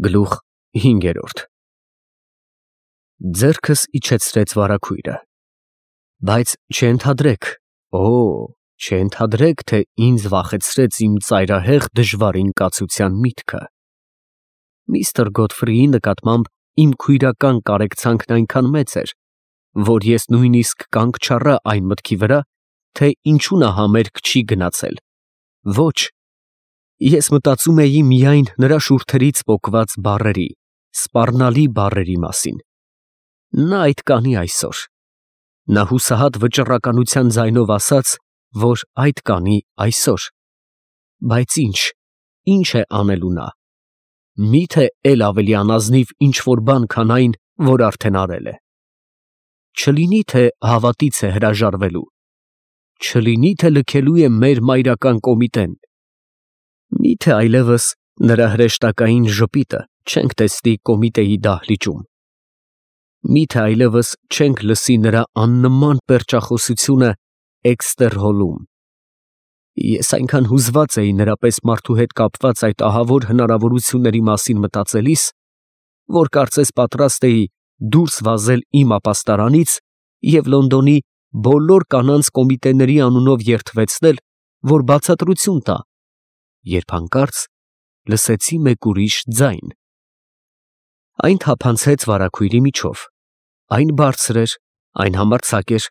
Գլուխ 5 Ձեռքս իջեցրեց վարագույրը, բայց չընդհադրեք, չընդհադրեք, թե ինձ վախեցրեց իմ ծայրահեղ դժվար ինկացության միտքը։ Միստր Գոթֆրիի նկատմամբ իմ քույրական կարեկցանքն այնքան մեծ էր, որ ես նույնիսկ կանգ չառա այն մտքի վրա, թե ինչու նա համերգ չի գնացել։ Ոչ, ես մտածում էի միայն նրա շուրթերից պոկված բառերի, սպառնալի բառերի մասին։ Նա այդ կանի այսօր։ Նա հուսահատ վճռականության ձայնով ասաց, որ այդ կանի այսօր։ Բայց ինչ է անելու նա։ Մի՞թե էլ ավելի անազնիվ ինչ-որ բան, քան այն, որ արդեն արել է։ Չլինի թե հավատից է հրաժարվելու։ Չլինի թե լքելու է մեր մայրական կոմիտեն։ Մի՞թե այլևս նրա հրեշտակային ժպիտը չենք տեսնի կոմիտեի դահլիճում։ Մի՞թե այլևս չենք լսի նրա աննման պերճախոսությունը էքստեր հոլում։ Ես այնքան հուզված էի նրա պես մարդու հետ կապված այդ ահավոր հնարավորությունների մասին մտածելիս, որ կարծես պատրաստ էի դուրս վազել իմ ապաստարանից և Լոնդոնի բոլոր կանանց կոմիտեների անունով երդվեցնել, որ բացատրություն տա, երբ հանկարծ լսեցի մեկ ուրիշ ձայն։ Այն թափանցեց վարագույրի միջով, այն բարձր էր, այն համարձակ էր,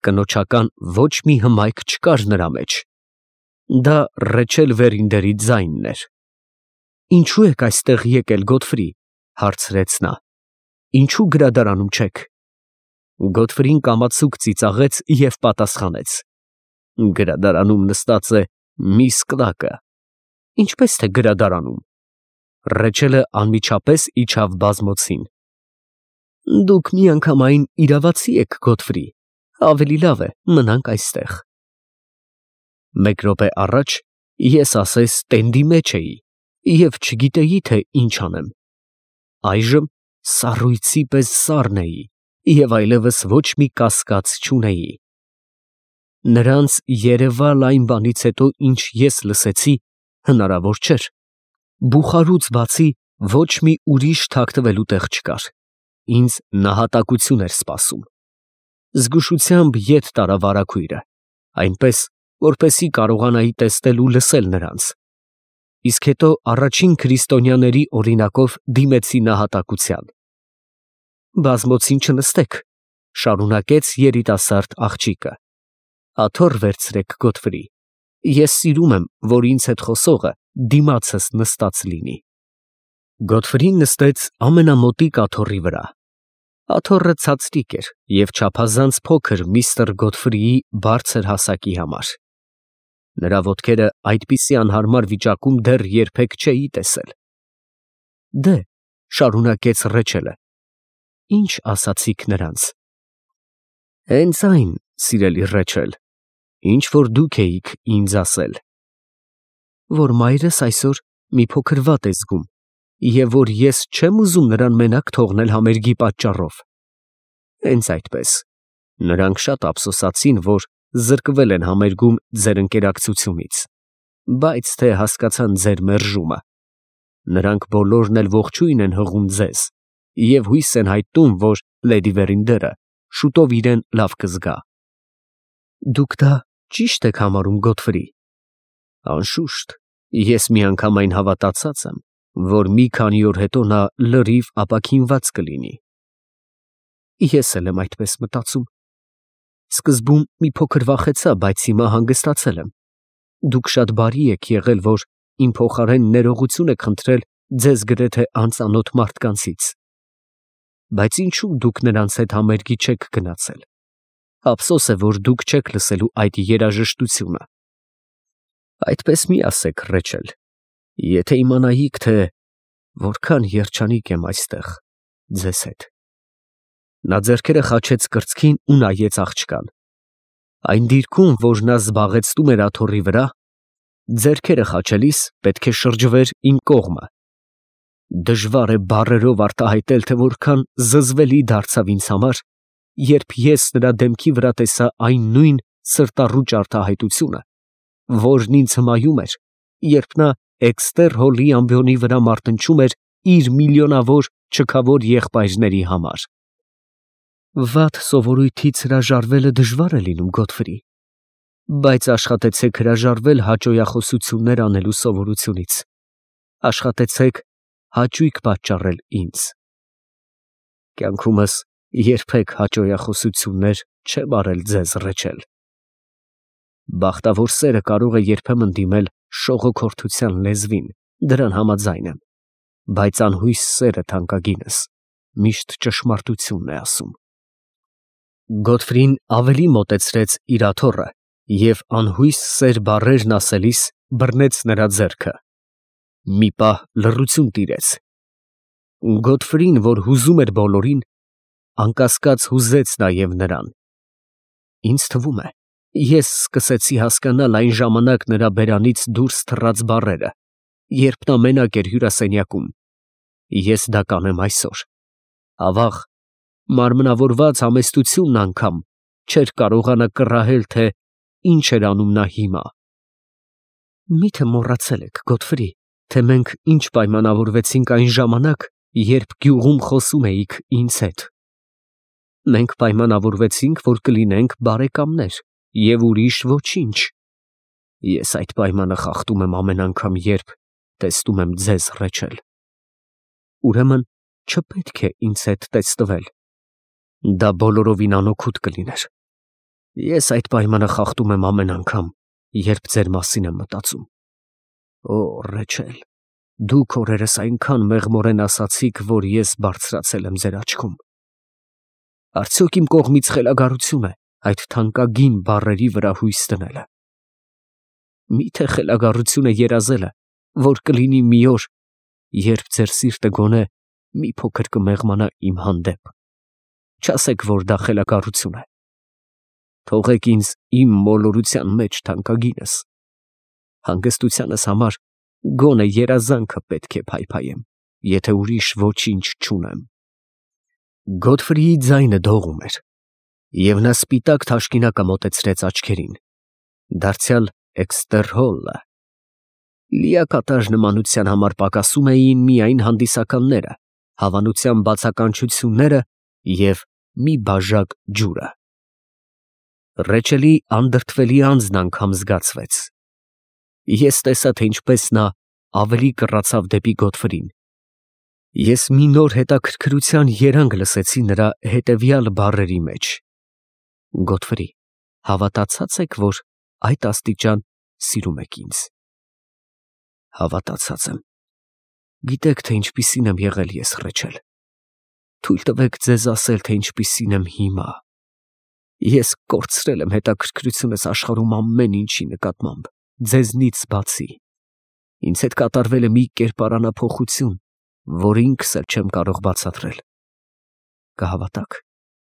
կնոջական ոչ մի հմայք չկար նրա մեջ։ Դա Ռեչել Վերինդերի ձայնն էր։ «Ինչու եք այստեղ եկել, Գոթֆրի» հարցրեց նա։ «Ինչու գրադարանում չեք»։ Գոթֆրին կամացուկ ծիծաղեց և պատասխանեց. «Գրադարանում նստած է միս Կլակը»։ «Ինչպես թե գրադարանում»։ Ռեչելը անմիջապես իջավ բազմոցին։ «Դուք միանգամայն իրավացի եք, Գոթֆրի, ավելի լավ է մնանք այստեղ»։ Մեկ րոպե առաջ ես ասես տենդի մեջ էի և չգիտեի, թե ինչ անեմ։ Այժմ սառույցի պես սառն էի և այլևս ոչ մի կասկած չունեի։ Նրանց երևալ այն բանից հետո, ինչ ես լսեցի, հնարավոր չէր։ Բուխարուց բացի ոչ մի ուրիշ թաքնվելու տեղ չկար։ Ինձ նահատակություն էր սպասում։ Զգուշությամբ ետ տարա վարագույրը, այնպես, որպեսզի կարողանայի տեսնել ու լսել նրանց։ Իսկ հետո առաջին քրիստոնյաների օրինակով դիմեցի նահատակության։ «Բազմոցին չնստեք», շարունակեց երիտասարդ աղջիկը։ «Աթոռ վերցրեք, Գոթֆրի։ Ես սիրում եմ, որ ինձ հետ խոսողը դիմացս նստած լինի»։ Գոթֆրին նստեց ամենամոտիկ աթոռի վրա։ Աթոռը ցածրիկ էր և չափազանց փոքր միստր Գոթֆրիի բարձր հասակի համար։ Նրա ոտքերը այդպիսի անհարմար վիճակում դեռ երբեք չէի տեսել։ «Դե», շարունակեց Ռեչելը, «ինչ ասացիք նրանց»։ «Հենց այն, սիրելի Ռեչել, ինչ որ դուք էիք ինձ ասել. որ մայրս այսօր մի փոքր վատ է զգում և որ ես չեմ ուզում նրան մենակ թողնել համերգի պատճառով։ Հենց այդպես, նրանք շատ ափսոսացին, որ զրկվել են համերգում ձեր ընկերակցությունից, բայց թե հասկացան ձեր մերժումը։ Նրանք բոլորն էլ ողջույն են հղում ձեզ և հույս են հայտնում, որ լեդի Վերինդերը շուտով իրեն լավ կզգա»։ «Դուք դա ճի՞շտ եք համարում, Գոթֆրի»։ «Անշուշտ, ես միանգամայն հավատացած եմ, որ մի քանի օր հետո նա լրիվ ապաքինված կլինի»։ «Ես էլ եմ այդպես մտածում։ Սկզբում մի փոքր վախեցա, բայց հիմա հանգստացել եմ։ Դուք շատ բարի եք եղել, որ իմ փոխարեն ներողություն եք խնդրել ձեզ գրեթե անծանոթ մարդկանցից։ Բայց ինչու դուք նրանց հետ համերգի չեք գնացել։ Ափսոս է, որ դուք չեք լսելու այդ երաժշտությունը։ Այդպես մի ասեք, Ռեչել, եթե իմանայիք, թե որքան երջանիկ եմ այստեղ ձեզ հետ»։ Նա ձեռքերը խաչեց կրծքին ու նայեց աղջկան։ Այն դիրքում, որ նա զբաղեցնում էր աթոռի վրա, ձեռքերը խաչելիս պետք է շրջվեր իմ կողմը։ Դժվար է բառերով արտահայտել, թե որքան զզվելի դարձավ ինձ համար, երբ ես նրա դեմքի վրա տեսա այն նույն սրտառուչ արտահայտությունը, որն ինձ հմայում էր, երբ նա էքստեր հոլի ամբիոնի վրա մարտնչում էր իր միլիոնավոր չքավոր եղբայրների համար։ Վատ սովորույթից հրաժարվելը դժվար է լինում, Գոթֆրի, բայց աշխատեցեք հրաժարվել հաճոյախոսություններ անելու սովորությունից։ Աշխատեցեք հաճույք պատճառել ինձ։ Կյանքումս երբեք հաճոյախոսություններ չեմ արել ձեզ, Ռեչել։ Բախտավոր սերը կարող է երբեմն դիմել շողոքորթության լեզվին, դրան համաձայն եմ, բայց անհույս սերը թանկագինս միշտ ճշմարտությունն է ասում։ Գոթֆրին ավելի մոտեցրեց իր աթոռը և անհույս սեր բառերն ասելիս բռնեց նրա ձեռքը։ Մի պահ լռություն տիրեց։ Գոթֆրին, որ հուզում էր բոլորին, անկասկած հուզեց նաև նրան։ Ինձ թվում է, ես սկսեցի հասկանալ այն ժամանակ նրա բերանից դուրս թռած բառերը, երբ նա մենակ էր հյուրասենյակում։ Ես դա կանեմ այսօր։ Ավաղ, մարմնավորված համեստությունն անգամ չէր կարողանա կռահել, թե ինչ էր անում նա հիմա։ Մի՞թե մոռացել եք, Գոթֆրի, թե մենք ինչ պայմանավորվեցինք այն ժամանակ, երբ գյուղում խոսում էիք ինձ հետ։ Մենք պայմանավորվեցինք, որ կլինենք բարեկամներ և ուրիշ ոչինչ։ Ես այդ պայմանը խախտում եմ ամեն անգամ, երբ տեսնում եմ ձեզ, Ռեչել։ Ուրեմն չպետք է ինձ հետ տեսնվել։ Դա բոլորովին անօգուտ կլիներ։ Ես այդ պայմանը խախտում եմ ամեն անգամ, երբ ձեր մասին եմ մտածում։ Օ, Ռեչել, դուք օրերս այնքան մեղմորեն ասացիք, որ ես բարձրացել եմ ձեր աչքում։ Արդյոք իմ կողմից խելագարություն է այդ թանկագին բառերի վրա հույս դնելը։ Մի՞թե խելագարություն է երազելը, որ կլինի մի օր, երբ ձեր սիրտը գոնե մի փոքր կմեղմանա իմ հանդեպ։ Չասեք, որ դա խելագարություն է։ Թողեք ինձ իմ մոլորության մեջ, թանկագինս։ Հանգստությանս համար գոնե երազանքը պետք է փայփայեմ, եթե ուրիշ ոչինչ չունեմ։ Գոթֆրիի ձայնը դողում էր, և նա սպիտակ թաշկինակը մոտեցրեց աչքերին, դարձյալ Էքստեր Հոլը։ Լիակատար նմանության համար պակասում էին միայն հանդիսականները, հավանության բացականչությունները և մի բաժակ ջուրը։ Ռեչելի անդրդվելի անձն անգամ զգացվեց։ Ես տեսա, թե ինչպես նա ավելի կռացավ դեպի Գոթֆրին։ Ես մի նոր հետաքրքրության երանգ լսեցի նրա հետևյալ բառերի մեջ. Գոթֆրի, հավատացած եք, որ այդ աստիճան սիրում եք ինձ։ Հավատացած եմ։ Գիտեք, թե ինչպիսին եմ եղել ես, Ռեչել։ Թույլ տվեք ձեզ ասել, թե ինչպիսին եմ հիմա։ Ես կորցրել եմ հետաքրքրությունս աշխարհում ամեն ինչի նկատմամբ, ձեզնից բացի։ Ինձ հետ կատարվել է մի կերպարանափոխություն, որ ինքս էլ չեմ կարող բացատրել։ Կհավատաք,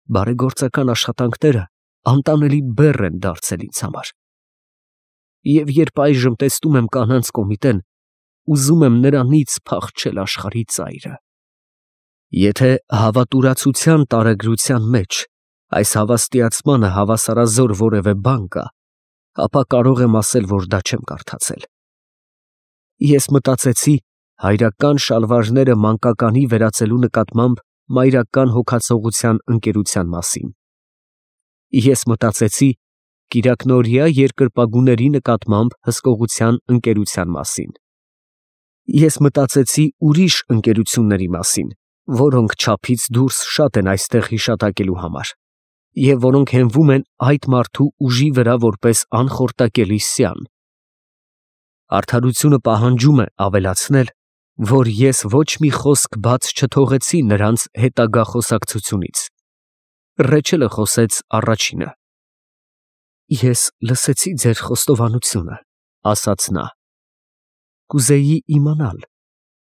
բարեգործական աշխատանքները անտանելի բեռ են դարձել ինձ համար։ Եվ երբ այժմ տեսնում եմ կանանց կոմիտեն, ուզում եմ նրանից փախչել աշխարհի ծայրը։ Եթե հավատուրացության տարեգրության մեջ այս հավաստիացմանը հավասարազոր որևէ բան կա, ապա կարող եմ ասել, որ դա չեմ կարդացել։ Ես մտածեցի հայրական շալվարները մանկականի վերածելու նկատմամբ մայրական հոգացողության ընկերության մասին։ Ես մտածեցի կիրակնօրյա երկրպագուների նկատմամբ հսկողության ընկերության մասին։ Ես մտածեցի ուրիշ ընկերությունների մասին, որոնք չափից դուրս շատ են այստեղ հիշատակելու համար, և որոնք հենվում են այդ մարդու ուժի վրա որպես անխորտակելի սյան։ Արդարությունը պահանջում է ավելացնել, որ ես ոչ մի խոսք բաց չթողեցի նրանց հետագա խոսակցությունից։ Ռեչելը խոսեց առաջինը։ Ես լսեցի ձեր խոստովանությունը, ասաց նա։ Կուզեի իմանալ,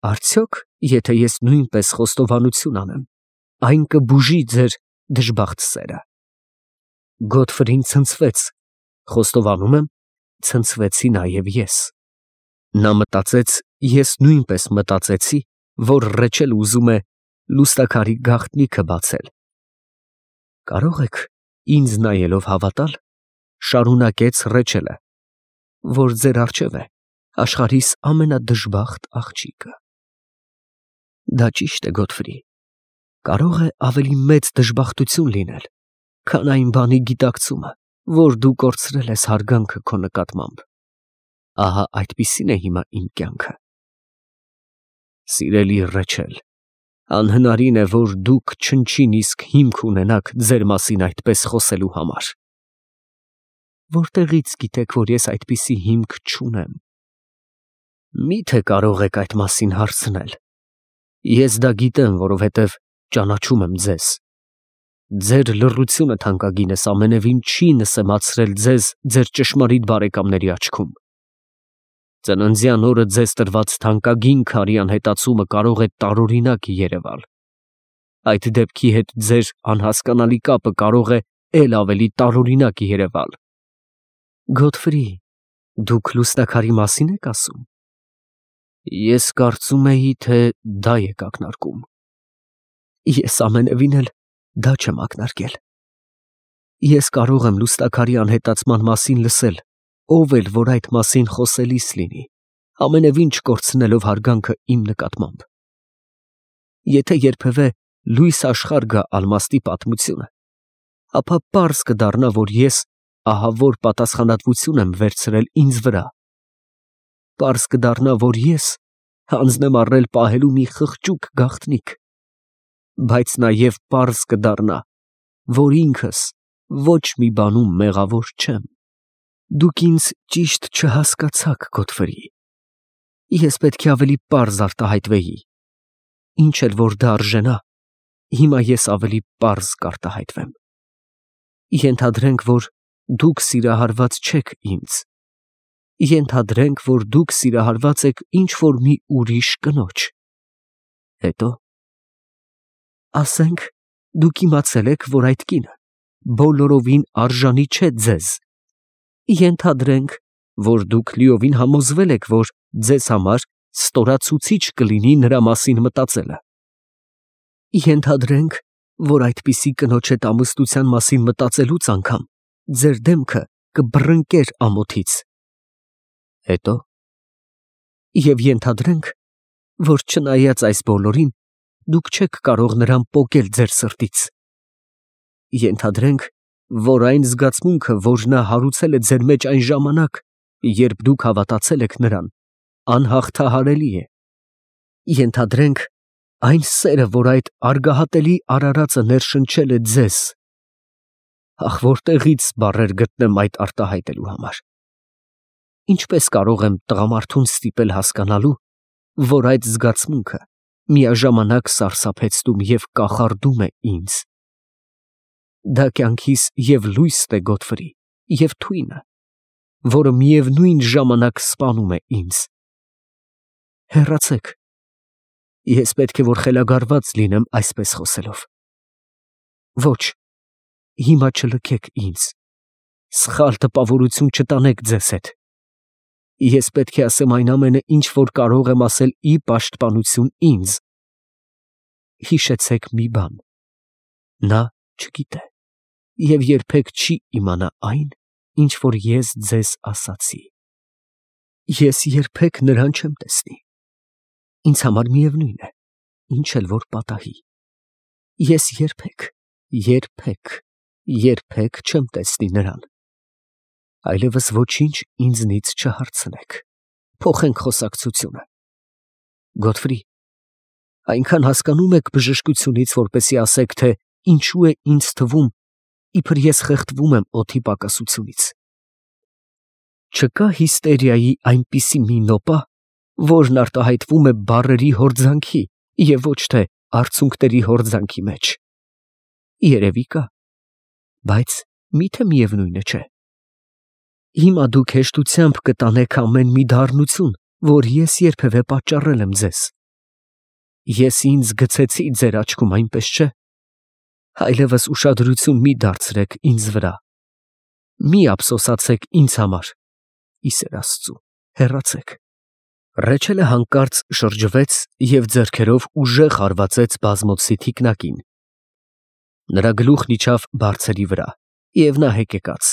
արդյոք, եթե ես նույնպես խոստովանություն անեմ, այն կբուժի ձեր դժբախտ սերը։ Գոթֆրին ցնցվեց, խոստովանում եմ, ցնցվեցի նաև ես։ Նա մտածեց, ես նույնպես մտածեցի, որ Ռեչել ուզում է լուսանկարի գաղտնիքը բացել։ Կարող եք ինձ նայելով հավատալ, շարունակեց Ռեչելը, որ ձեր առջև է աշխարհիս ամենադժբախտ աղջիկը։ Դա ճիշտ է, Գոթֆրի։ Կարող է ավելի մեծ դժբախտություն լինել, քան այն բանի գիտակցումը, որ դու կորցրել ես հարգանքը քո նկատմամբ։ Ահա այդպիսին է հիմա իմ կյանքը։ Սիրելի Ռեչել, անհնարին է, որ դուք չնչին իսկ հիմք ունենաք ձեր մասին այդպես խոսելու համար։ Որտեղից գիտեք, որ ես այդպիսի հիմք չունեմ։ Միթե կարող եք այդ մասին հարցնել։ Ես դա գիտեմ, որովհետև ճանաչում եմ ձեզ։ Ձեր լռությունը, թանկագինս, ամենևին չի նսեմացրել ձեզ ձեր ճշմարիտ բարեկամների աչքում։ Ծննդյան օրը ձեզ տրված թանկագին քարի անհետացումը կարող է տարօրինակ երևալ։ Այդ դեպքի հետ ձեր անհասկանալի կապը կարող է էլ ավելի տարօրինակ երևալ։ Գոթֆրի, դուք լուսնակարի մասին եք ասում։ Ես կարծում էի, թե դա եք ակնարկում։ Ես ամենևին էլ դա չեմ ակնարկել։ Ես կարող եմ լուսնակարի անհետացման մասին լսել, ով էլ որ այդ մասին խոսելիս լինի, ամենևին չկորցնելով հարգանքը իմ նկատմամբ։ Եթե երբևէ լույս աշխարհ գա ալմաստի պատմությունը, ապա պարզ կդառնա, որ ես ահավոր պատասխանատվություն եմ վերցրել ինձ վրա։ Պարզ կդառնա, որ ես հանձն եմ առնել պահելու մի խղճուկ գաղտնիք, բայց նաև պարզ կդառնա, որ ինքս ոչ մի բանում մեղավոր չեմ։ Դուք ինձ ճիշտ չհասկացաք, Գոթֆրի։ Ես պետք է ավելի պարզ արտահայտվեի։ Ինչ էլ որ դա արժենա, հիմա ես ավելի պարզ կարտահայտվեմ։ Ենթադրենք, որ դուք սիրահարված չեք ինձ։ Ենթադրենք, որ դուք սիրահարված եք ինչ-որ մի ուրիշ կնոջ։ Հետո, ասենք, դուք իմացել եք, որ այդ կինը բոլորովին արժանի չէ ձեզ։ Ենթադրենք, որ դուք լիովին համոզվել եք, որ ձեզ համար ստորացուցիչ կլինի նրա մասին մտածելը։ Ենթադրենք, որ այդպիսի կնոջ հետ ամուսնության մասին մտածելուց անգամ ձեր դեմքը կբռնկեր ամոթից։ Հետո, և ենթադրենք, որ չնայած այս բոլորին, դուք չեք կարող նրան պոկել ձեր սրտից։ Ենթադրենք, որ այն զգացմունքը, որ նա հարուցել է ձեր մեջ այն ժամանակ, երբ դուք հավատացել եք նրան, անհաղթահարելի է։ Ենթադրենք, այն սերը, որ այդ արգահատելի արարածը ներշնչել է ձեզ։ Ախ, որտեղից բառեր գտնեմ այդ արտահայտելու համար։ Ինչպես կարող եմ տղամարդուն ստիպել հասկանալու, որ այդ զգացմունքը միաժամանակ սարսափեցնում և կախարդում է ինձ։ Դա կյանքիս և լույսն է, Գոթֆրի, և թույնը, որը միևնույն ժամանակ սպանում է ինձ։ Հեռացեք։ Ես պետք է որ խելագարված լինեմ այսպես խոսելով։ Ոչ, հիմա չլքեք ինձ, սխալ տպավորություն չտանեք ձեզ հետ։ Ես պետք է ասեմ այն ամենը, ինչ որ կարող եմ ասել ի պաշտպանություն ինձ։ Հիշեցեք մի բան. նա չգիտե և երբեք չի իմանա այն, ինչ որ ես ձեզ ասացի։ Ես երբեք նրան չեմ տեսնի։ Ինձ համար միևնույն է, ինչ էլ որ պատահի։ Ես երբեք չեմ տեսնի նրան։ Այլևս ոչինչ ինձնից չհարցնեք։ Փոխենք խոսակցությունը։ Գոթֆրի, այնքան հասկանում եք բժշկությունից, որպեսզի ասեք, թե ինչու է ինձ թվում, իբր ես խեղդվում եմ օդի պակասությունից։ Չկա հիստերիայի այնպիսի մի նոպա, որն արտահայտվում է բառերի հորձանքի և ոչ թե արցունքների հորձանքի մեջ։ Երևի կա, բայց միթե միևնույնը չէ։ Հիմա դուք հեշտությամբ կտանեք ամեն մի դառնություն, որ ես երբևէ պատճառել եմ ձեզ։ Ես ինձ գցեցի ձեր աչքում, այնպես չէ։ Այլևս ուշադրություն մի դարձրեք ինձ վրա։ Մի ափսոսացեք ինձ համար։ Ի սեր Աստծու, հեռացեք։ Ռեչելը հանկարծ շրջվեց և ձեռքերով ուժեղ հարվածեց բազմոցի թիկնակին։ Նրա գլուխն իջավ բարձրի վրա, և նա հեկեկաց։